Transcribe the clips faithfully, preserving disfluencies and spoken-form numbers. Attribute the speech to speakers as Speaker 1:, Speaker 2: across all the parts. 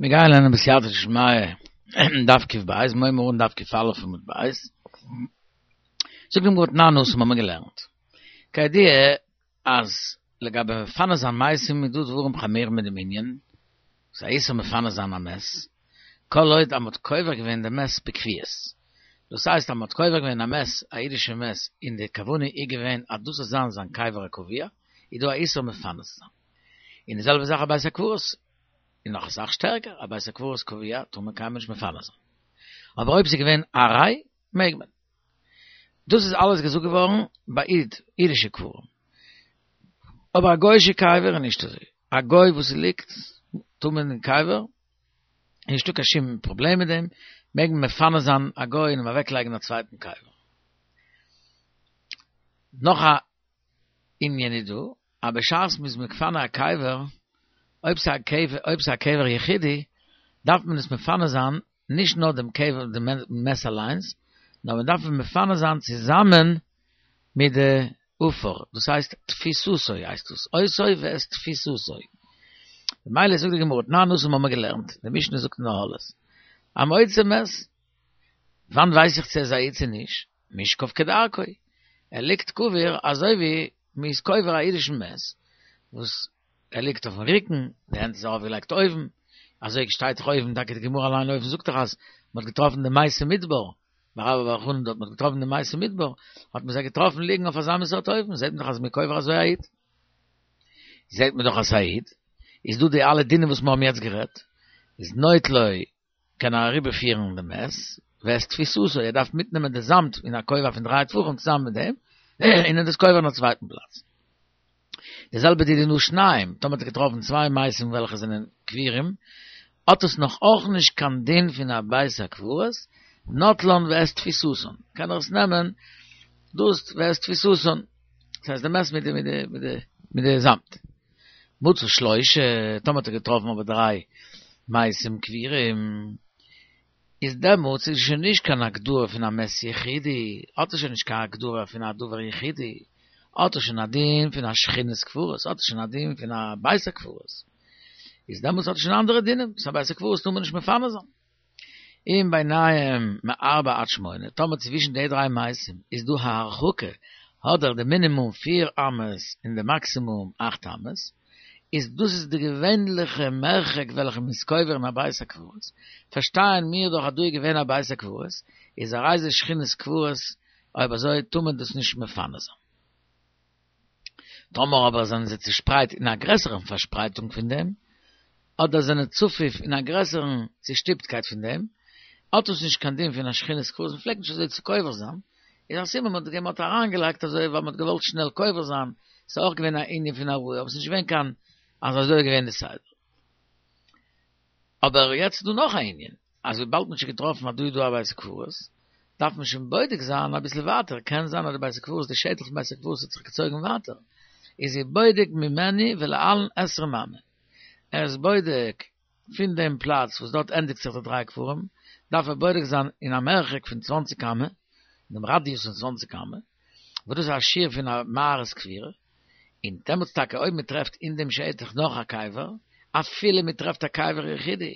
Speaker 1: מיר גייען לערנען בסייעתא דשמיא דף קוף בית, מיר הייבן אן דף קוף אלף עמוד בית. זאגט די גמרא תנן התם האבן מיר געלערנט. כידוע אז לגבי מפנה זיין מתים איז דא דברים חמורים מיט דעם ענין, ס'איז א איסור מפנה זיין א מת, כל עוד אז מ'האט קובר געווען די מת בקביעות. דאס הייסט אז מ'האט קובר געווען א מת, א אידישע מת, און די כוונה איז געווען אז דאס זאל זיין זיין קבר הקבוע, איז דא א איסור מפנה צו זיין. און די זעלבע זאך א בית הקברות, און נאך אסאך שטערקער, א בית הקברות קבוע טאר מען קיינמאל נישט מפנה זיין. אבער אויב ס'איז געווען עראי, מעג מען. דאס איז אלעס געזאגט געווארן ביי איד, אידישע קברים. אבער א גוי'אישע קבר איז נישט אזוי. א גוי וואס ליגט טמון אין קבר, איז נישטא קיין שום פראבלעם מיט דעם, מעג מען מפנה זיין א גוי און אים אוועקלייגן אין א צווייטן קבר. נאך א ענין איז דא, אז בשעת מ'איז מפנה א קבר, אויב ס'איז א קבר, אויב ס'איז א קבר יחידי, דארף מען עס מפנה זיין נישט נאר דעם קבר, דעם מת אליינס, נאר מען דארף אים מפנה זיין צוזאמען מיט די עפר, דאס הייסט תפיסתו הייסט דאס, אותו ואת תפיסתו. ממילא זאגט די גמרא, תנן התם האבן מיר געלערנט, די משנה זאגט אין אהלות, המוצא מת, וואנט ווייס איך צו ער איז א איד צו נישט? משכב כדרכו, ער ליגט קבור אזוי ווי מען איז קובר א אידישן מת, וואס ער ליגט אויפן רוקן, די הענט איז ארויפגעלייגט אויבן, אזוי שטייט דאך אויבן, טאקע די גמרא אליין אויבן זאגט דאך אז מען האט געטראפן די מתי מדבר, ביי רבה בר בר חנה דארט מען האט געטראפן די מתי מדבר, האט מען זיי געטראפן ליגן אויף אזא מין סארט אופן, זעט מען דאך אז מען איז קובר אזוי א איד. זעט מען דאך אז ס'איז א איד, איז דא די אלע דינים וואס מיר האבן יעצט גערעדט, איז נוטלו קען ער אריבערפירן דעם מת, ואת תפיסתו, ער דארף מיטנעמען די זאמד אין א כובע פון דריי טפחים צוזאמען מיט דעם, און ער דאס קובר אין א צווייטן פלאץ. די זעלבע דידן שניים, טאמער האט ער געטראפן צוויי מתים וועלכע זענען קבורים, האט עס נאך אויך נישט קיין דין פון א בית הקברות, נוטלן ואת תפיסתן, קען ער עס נעמען דאס ואת תפיסתן, דאס הייסט די מת מיט די מיט די מיט די מיט די זאמד. מצא שלושה, טאמער האט ער געטראפן אבער דריי מתים קבורים, איז דעמאלטס איז שוין נישט קיין הגדרה פון א מת יחידי, האט ער שוין נישט קיין הגדרה פון א דבר יחידי, האט ער שוין א דין פון א שכונת קברות, האט ער שוין א דין פון א בית הקברות, איז דעמאלטס האט ער שוין אנדערע דינים, ס'איז א בית הקברות טאר מען נישט מפנה זיין. אם ביניהם מארבע עד שמונה, טאמער צווישן די דריי מתים איז דא א הרחקה, אדער די מינימום פיר אמות און די מאקסימום אכט אמות, איז דאס איז די געווענליכע מרחק וועלכע מען איז קובר אין א בית הקברות, פארשטייען מיר דאך אז דא איז געווען א בית הקברות, איז הרי זה שכונת קברות, אויב אזוי טאר מען דאס נישט מפנה זיין. טאמער אבער זענען זיי צושפרייט אין א גרעסערן פארשפרייטונג פון דעם, אדער זענען צפוף אין א גרעסערן צושטופטקייט פון דעם, האט עס נישט קיין דין פון א שכונת קברות, מען פלעגט נישט אזוי צו קובר זיין, איז א סימן מען האט אריינגעלייגט אזוי ווייל מען האט געוואלט שנעל קובר זיין, ס'איז אויך געווען א ענין פון עראי, אבער ס'איז נישט געווען קיין אז אזוי איז געווען די סדר. אבער יעצט איז דא נאך א ענין, אז וויבאלד מ'האט שוין געטראפן אז דא איז דא א בית הקברות, דארף מען שוין בודק זיין אביסל ווייטער, קען זיין אז די בית הקברות, די שטח פון בית הקברות האט זיך געצויגן ווייטער, איז ער בודק ממנו ולהלן עשרים אמה, ער איז בודק פון דעם פלאץ וואס דארט ענדיגט זיך די דריי קברים, דארף ער בודק זיין אין א מרחק פון צוואנציג אמה, אין דעם ראדיוס פון צוואנציג אמה, וואס דאס איז א שיעור פון א מערת קבורה, און דעמאלטס טאקע אויב מען טרעפט אין דעם שטח נאך א קבר, אפילו מען טרעפט א קבר יחידי,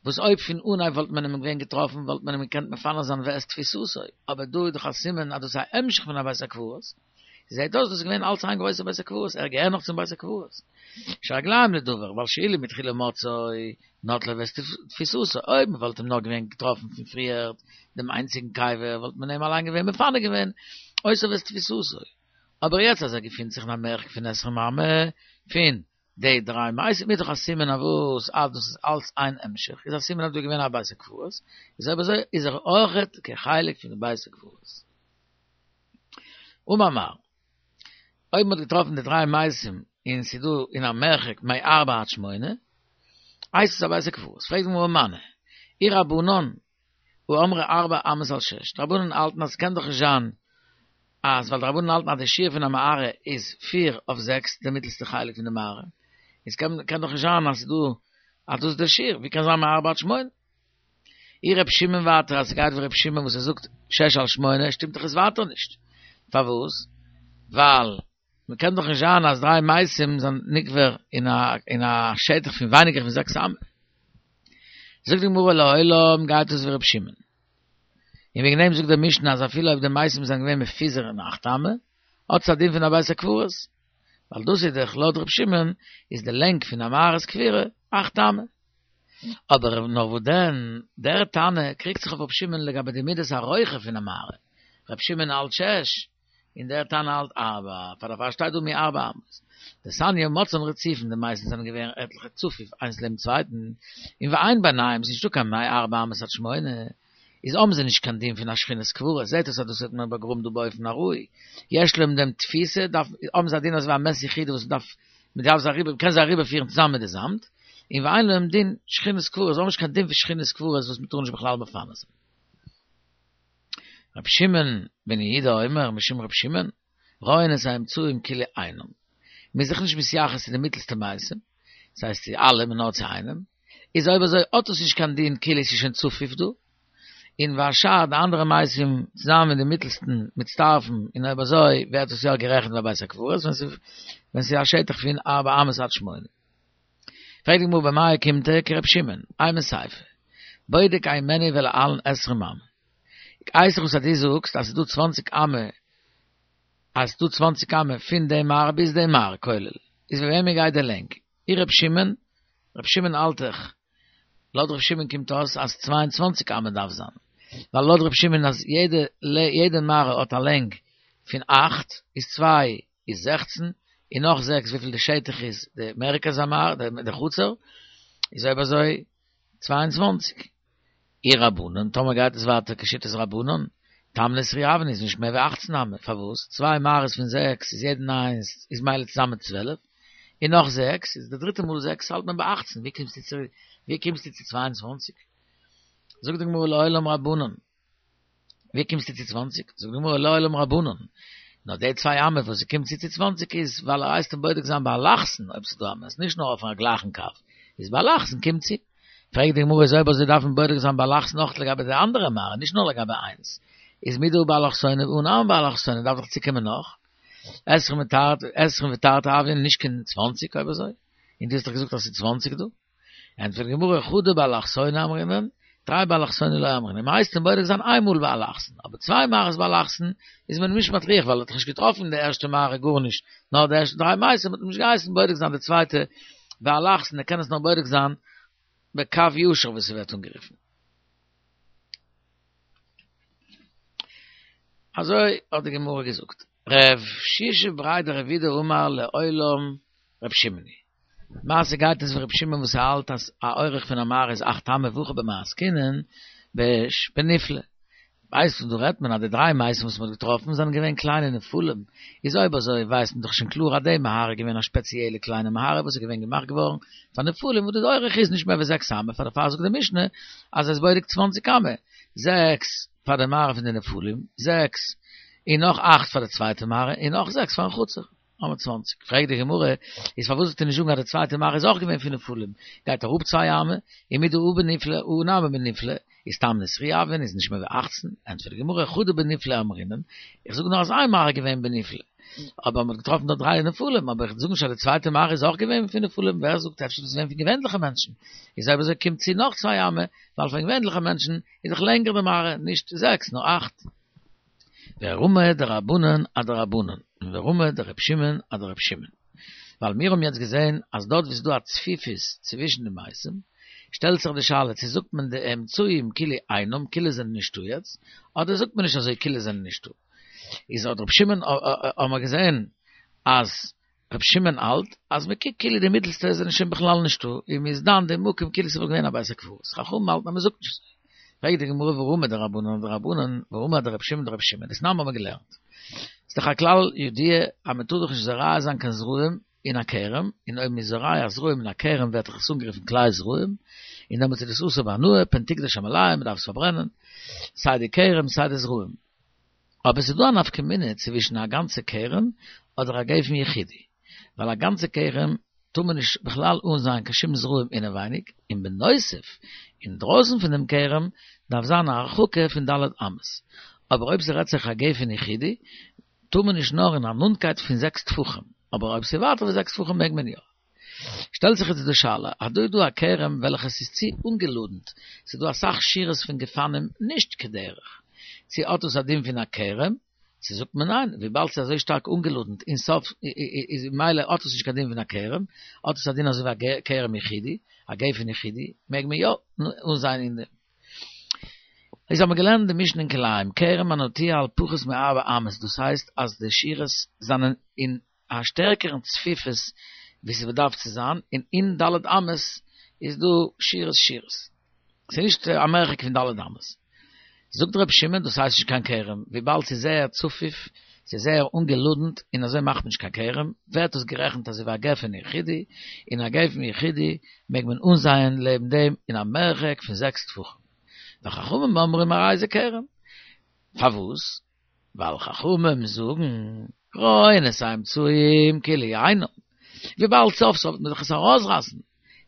Speaker 1: וואס אויב פון אנהייב וואלט מען אים געווען געטראפן וואלט מען אים געקענט מפנה זיין ואת תפיסתו, אבער דא איז דאך א סימן אז דאס איז א המשך פון א בית הקברות, זעהט אויס דאס איז געווען אלץ איין גרויסע בית הקברות, ער געהער נאך צום בית הקברות. שהרגליים לדבר, ווייל שאילו מתחילה מצאו נוטלו ואת תפיסתו, אויב מען וואלט אים נאר געווען געטראפן פון פריערט דעם איינציגן קבר וואלט מען אים אליין געווען מפנה געווען אותו ואת תפיסתו, אבער יעצט אז ער געפינט זיך אין א מרחק פון עשרים אמה פון די דריי מתים איז דאך א סימן אויף וואס אז דאס איז אלץ איין המשך, איז א סימן אז דא איז געווען א בית הקברות, איז אויב אזוי איז ער אויכעט כחלק פון די בית הקברות. אמר מר. אויב מ'האט געטראפן די דריי מתים און ס'איז דא אין א מרחק מארבע עד שמונה, הייסט עס א בית הקברות. פרעגט די גמרא מני, אי רבנן הא אמרי ארבע אמות על שש, די רבנן האלטן אז ס'קען דאך נישט זיין אז ווייל די רבנן האלטן אז די שיעור פון א מערה איז פיר אויף זעקס די מיטלסטע חלק פון די מערה, איז קען קען דאך נישט זיין אז ס'איז דא אז דאס איז די שיעור, ווי קען זיין מארבע עד שמונה? אי ר' שמעון ווייטער אז ס'גייט ווי ר' שמעון וואס ער זאגט שש על שמונה שטימט דאך עס ווייטער נישט, פארוואס? ווייל מ'קען דאך נישט זיין אז דריי מתים זענען נקבר אין א אין א שטח פון ווייניגער פון זעקס אמה. זאגט די גמרא לעולם גייט עס ווי רב שמעון. און וועגן דעם זאגט דער משנה אז אפילו אויב די מתים זענען געווען מפוזר אין אכט אמה, האט עס א דין פון א בית הקברות. ווייל דאס איז דאך לויט רב שמעון איז די לענג פון א מערת קבורה אכט אמה. אבער נאר וואס דען, דער תנא קריגט זיך אויף רב שמעון לגבי די מידת הרוחב פון א מערה. רב שמעון האלט שש, און דער תנא האלט ארבע, פאר דערפאר שטייט דא מארבע אמות. דתניא מצאן רצופין, די מתים זענען געווען עטליכע צפוף איינס לעבן צווייטן, און ואין ביניהם, ס'איז נישטא קיין מארבע אמות עד שמונה, איז האבן זיי נישט קיין דין פון א שכינת קבורה, זעט אויס אז דאס האט מען באגראבן דא באופן ארעי, יש להם דעם תפיסה, דארף, האבן זיי א דין אזויווי א מת יחידי וואס מ'דארף, מ'דארף זיי אריבער, מ'קען זיי אריבערפירן צוזאמען מיט די זאמד, און ואין להם דין שכינת קבורה, זיי האבן נישט קיין דין פון שכינת קבורה וואס מ'טאר נישט בכלל מפנה זיין. רבי שמעון בן יהודה אומר משום רבי שמעון, רואין את האמצעיים כאילו אינם. מ'איז זיך נישט מתייחס צו די מיטלסטע מתים, דאס הייסט צו אלע, נאר צו איינעם, איז אויב אזוי האט עס נישט קיין דין כאילו עס איז שוין צפוף דא, און והשאר די אנדערע מתים צוזאמען מיט די מיטלסטן מצטרפים, און אויב אזוי ווערט עס יא גערעכנט ווי א בית הקברות ווען ס'איז א שטח פון ארבע אמות עד שמונה. פרעגט די גמרא במאי אוקימתא כר' שמעון, אימא סיפא, בודק הימנו ולהלן עשרים אמה. ווייס איך וואס אז דו זאגסט אז ס'איז דא צוואנציג אמה אז ס'איז דא צוואנציג אמה פון די מערה ביז די מערה כולל, איז ווי וועמען גייט די לענג? אי ר' שמעון, ר' שמעון האלט דאך, לויט ר' שמעון קומט אויס אז צוויי און צוואַנציק אמה דארף זיין, ווייל לויט ר' שמעון אז יעדע יעדע מערה האט א לענג פון אכט, איז צוויי איז זעכצן, און נאך זעקס וויפיל די שטח איז די מרכז המערה, די חצר, איז אויב אזוי צוויי און צוואַנציק. אי רבנן, טאמער גייט עס ווייטער כשיטת רבנן, תמני סרי הויין איז נישט מער ווי אַכצן אמה, פארוואס? צוויי מערות פון זעקס איז יעדן איינס איז מילא צוזאמען צוועלף, און נאך זעקס איז די דריטע מאל זעקס האלט מען ביי אַכצן, ווי קומסטו צו ווי קומסטו צו צוויי און צוואַנציק? זאגט די גמרא לעולם רבנן, ווי קומסטו צו צוואַנציק? זאגט די גמרא לעולם רבנן, נאר די צוויי אמה וואס ס'קומט צו צו צוואַנציק איז ווייל ער הייסט אים בודק זיין באלכסון אויב ס'איז דא א מת, נישט נאר אויפן א גלייכן קו, איז באלכסון קומט צו. פרעגט די גמרא איז אויב אזוי דארף מען בודק זיין באלכסון אויך לגבי די אנדערע מערה, נישט נאר לגבי איינס, איז מדהא באלכסונא אנא נמי באלכסונא דארף דאך צוקומען נאך עשרים ותרתי עשרים ותרתי הויין נישט קיין צוואַנציק אויב אזוי, און דו האסט דאך געזאגט אז ס'איז צוואַנציק דא. ענטפערט די גמרא חדא באלכסונא אמרינן, תרי באלכסונא לא אמרינן, מען הייסט אים בודק זיין איין מאל באלכסון, אבער צוויי מערות באלכסון איז מען נישט מטריח ווייל ער האט דאך נישט געטראפן די ערשטע מערה גארנישט, נאר די ערשטע דריי מתים האט מען נישט געהייסן בודק זיין די צווייטע באלכסון, ער קען עס נאר בודק זיין בקו ישר ווי ס'ווערט אנגערופן. אזוי האט די גמרא געזאגט. רב שישא בריה דרב אידי אמר לעולם ר' שמעון היא. למעשה גייט עס ווי ר' שמעון וואס האלט אז א אורך פון א מערה איז אכט אמה והכא במאי עסקינן בנפלה. ווייסט דא רעדט מען אז די דריי מתים וואס מ'האט געטראפן זענען געווען קליינע נפלים, איז אויב אזוי ווייסט מען דאך שוין קלאר אז די מערה איז געווען א שפעציעלע קליינע מערה וואס איז געווען געמאכט געווארן פאר נפלים וואס די אורך איז נישט מער ווי זעקס אמה, פאר דערפאר זאגט די משנה אז עס איז בודק צוואנציג אמה, זעקס פאר די מערה פון די נפלים, זעקס און נאך אכט פאר די צווייטע מערה און נאך זעקס פארן חצר. האבן צוואַנציק. פרעגט די גמרא, איז פארוואס זאלסטו נישט זאגן אז די צווייטע מערה איז אויך געווען פון נפלים? גייט אראפ צוויי אמה, ומדהא בנפלה הא נמי בנפלה, איז תמני סרי הויין, איז נישט מער ווי אַכצן, ענטפערט די גמרא, חדא בנפלה אמרינן, איך זאג נאר אז איין מערה איז געווען בנפלה, אבער מען האט געטראפן דארט דריי נפלים, אבער איך זאג נישט אז די צווייטע מערה איז אויך געווען פון נפלים, ווער זאגט אפשר איז עס געווען פון געווענליכע מענטשן, איז אויב אזוי קומט צו נאך צוויי אמה, ווייל פון געווענליכע מענטשן איז דאך לענגער די מערה, נישט זעקס נאר אכט. ורמי דרבנן אדרבנן, און ורמי דר' שמעון אדר' שמעון. ווייל מיר האבן יעצט געזען אז דארט וואו ס'איז דא א צפיפות צווישן די מתים, שטעלט זיך די שאלה צו זאגט מען די אמצעים כאילו אינם, כאילו זענען נישטא יעצט, אדער זאגט מען נישט אזוי כאילו זענען נישטא. איז האט ר' שמעון האבן מיר געזען אז ר' שמעון האלט אז מען קוקט כאילו די מיטלסטע זענען שוין בכלל נישטא, און מען איז דן די מקום כאילו ס'וואלט געווען א בית הקברות, חכמים האלטן אז מען זאגט נישט אזוי. פרעגט די גמרא ורמי דרבנן אדרבנן, ורמי דר' שמעון אדר' שמעון, דתנן האבן מיר געלערנט. ס'איז דאך א כלל ידוע אז מען טאר דאך נישט זורע זיין קיין זרעים אין א כרם, און אויב מען איז זורע זרעים אין א כרם ווערט דאך עס אנגערופן כלאי זרעים, און דעמאלטס איז דאס אסור בהנאה, פן תקדש המלאה, מען דארף עס פארברענען, סיי די כרם סיי די זרעים. אבער ס'איז דא א נפקא מינה צווישן א גאנצע כרם אדער א גפן יחידי, ווייל א גאנצע כרם טאר מען נישט בכלל אנזייען קיין שום זרעים אינעווייניג, און בנוסף, אינדרויסן פון דעם כרם דארף זיין א הרחקה פון ד' אמות, אבער אויב ס'רעדט זיך א גפן יחידי, טאר מען נישט נאר אין א נאנטקייט פון זעקס טפחים, אבער אויב ס'איז ווייטער ווי זעקס טפחים מעג מען יא. שטעלט זיך יעצט די שאלה, אז דא איז דא א כרם וועלכעס איז צו אנגעלאדנט, ס'איז דא אסאך שורות פון גפנים נישט כדרך, צו האט דאס א דין פון א כרם, צו זאגט מען ניין, וויבאלד ס'איז אזוי שטארק אנגעלאדנט אין סוף איז ממילא האט עס נישט קיין דין פון א כרם, האט עס א דין אזוי ווי א כרם יחידי, א גפן יחידי, מעג מען יא אנזייען אין דעם. איז האבן מיר געלערנט די משנה אין כלאים, כרם הנטוע על פחות מארבע אמות, דאס הייסט אז די שורות זענען אין א שטערקערן צפיפות ווי ס'באדארף צו זיין, און אין ד' אמות איז דא שורות שורות. ס'איז נישט א מרחק פון ד' אמות. זאגט ר' שמעון דאס הייסט נישט קיין כרם, וויבאלד ס'איז זייער צפוף, ס'איז זייער אנגעלאדנט און אזוי מאכט מען נישט קיין כרם, ווערט עס גערעכנט אזוי ווי א גפן יחידי, און א גפן יחידי מעג מען אנזייען לעבן דעם אין א מרחק פון זעקס טפחים. וחכמים אומרים הרי זה כרם. פארוואס? ווייל חכמים זאגן, רואין את האמצעיים כאילו אינם. וויבאלד סוף סוף וועט מען דאך עס ארויסרייסן,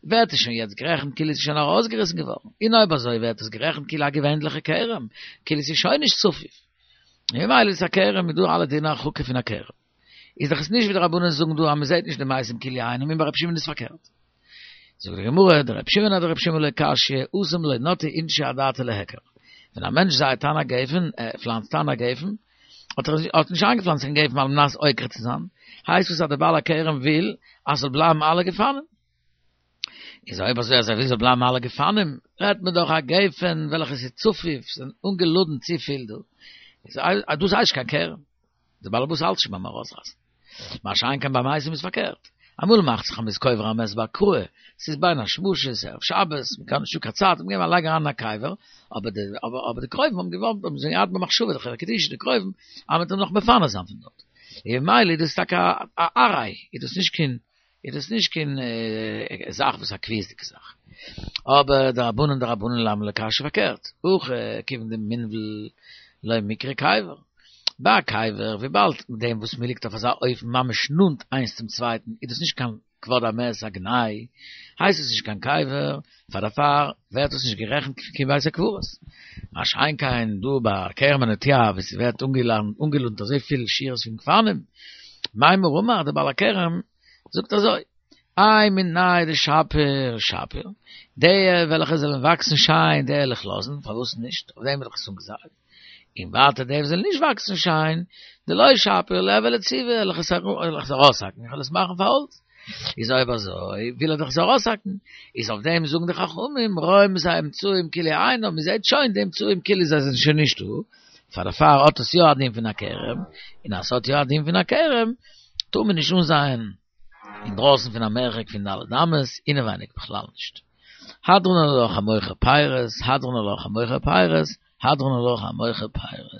Speaker 1: ווערט עס שוין יעצט גערעכנט כאילו עס איז שוין ארויסגעריסן געווארן, און אויב אזוי ווערט עס גערעכנט כאילו א געווענליכע כרם, כאילו עס איז שוין נישט צפוף. ממילא איז עס א כרם מיט דא אלע דיני הרחקה פון א כרם. איז דאך עס נישט ווי די רבנן זאגן דא אז מען זעט נישט די מתים כאילו אינם און ביי רבי שמעון איז פארקערט. זאגט די גמרא, דרבי שמעון אדרבי שמעון לא קשיא, התם לא נטעי אינשי אדעתא להיכר. ווען א מענטש זייעט אן א גפן, ער פלאנצט אן א גפן, האט ער האט נישט איינגעפלאנצט קיין גפן על מנת עוקר צו זיין, הייסט עס אז דער בעל הכרם וויל אז ס'זאל בלייבן אלע גפנים. איז אויב אזוי אז ער וויל ס'זאל בלייבן אלע גפנים, רעדט מען דאך א גפן וועלכע ס'איז צפוף, ס'איז אנגעלאדנט צופיל דא, איז דאס הייסט נישט קיין כרם. דער בעל הבית האלט שוין ביים ארויסרייסן. מה שאין כן ביי מתים איז פארקערט. אמאל מאכט זיך אז מ'איז קובר א מת באקראי, ס'איז בין השמשות, ערב שבת, מ'קען נישטא קיין צייט, מ'געבן א לייג אריין אין א קבר, אבער די אבער די קרובים האבן געוואלט, האבן זיך געהאט במחשבה, די חברה קדישא, די קרובים, אז מ'וועט אים נאך מפנה זיין פון דארט. און ממילא איז דאס טאקע א עראי, איז דאס נישט קיין, איז דאס נישט קיין זאך וואס א קביעות'דיגע זאך. אבער דרבנן דרבנן למה לא קשיא פארקערט, הכא כיוון דמינבל לא מיקרי קבר. ביי א קבר, וויבאלד מיט דעם וואס מ'ליגט אויף אזא אופן ממש נאנט איינס צום צווייטן איז דאס נישט קיין כבוד המת א גנאי, הייסט עס נישט קיין קבר, פאר דערפאר ווערט עס נישט גערעכנט קיין בית הקברות. מה שאין כן דא ביי כרם הנטוע וואו ס'ווערט אנגעלאדנט אזויפיל שורות פון גפנים, מימר אמר דער בעל הכרם זאגט אזוי, האי מינייהו דשפיר שפיר, די וועלכע זאלן וואקסן שיין די וועל איך לאזן, פארוואס נישט, אויף דעם האב איך עס אנגעזייט, און ווייטער די וואס זאלן נישט וואקסן שיין, דלא שפיר ליהוי לציבי, וועל איך עס ארויסהאקן, איך וועל עס מאכן פאר האלץ. איז אויב אזוי וויל ער דאך עס ארויסהאקן, איז אויף דעם זאגן די חכמים, רואים את האמצעים כאילו אינם, מען זעט שוין די אמצעים כאילו זיי זענען שוין נישטא, פאר דערפאר האט עס יא א דין פון א כרם, און אז עס האט יא א דין פון א כרם, טאר מען נישט אנזייען אינדרויסן פון א מרחק פון ד' אמות, אינעווייניג בכלל נישט. הדרן עלך המוכר פירות, הדרן עלך המוכר פירות, הדרן עלך המוכר פירות.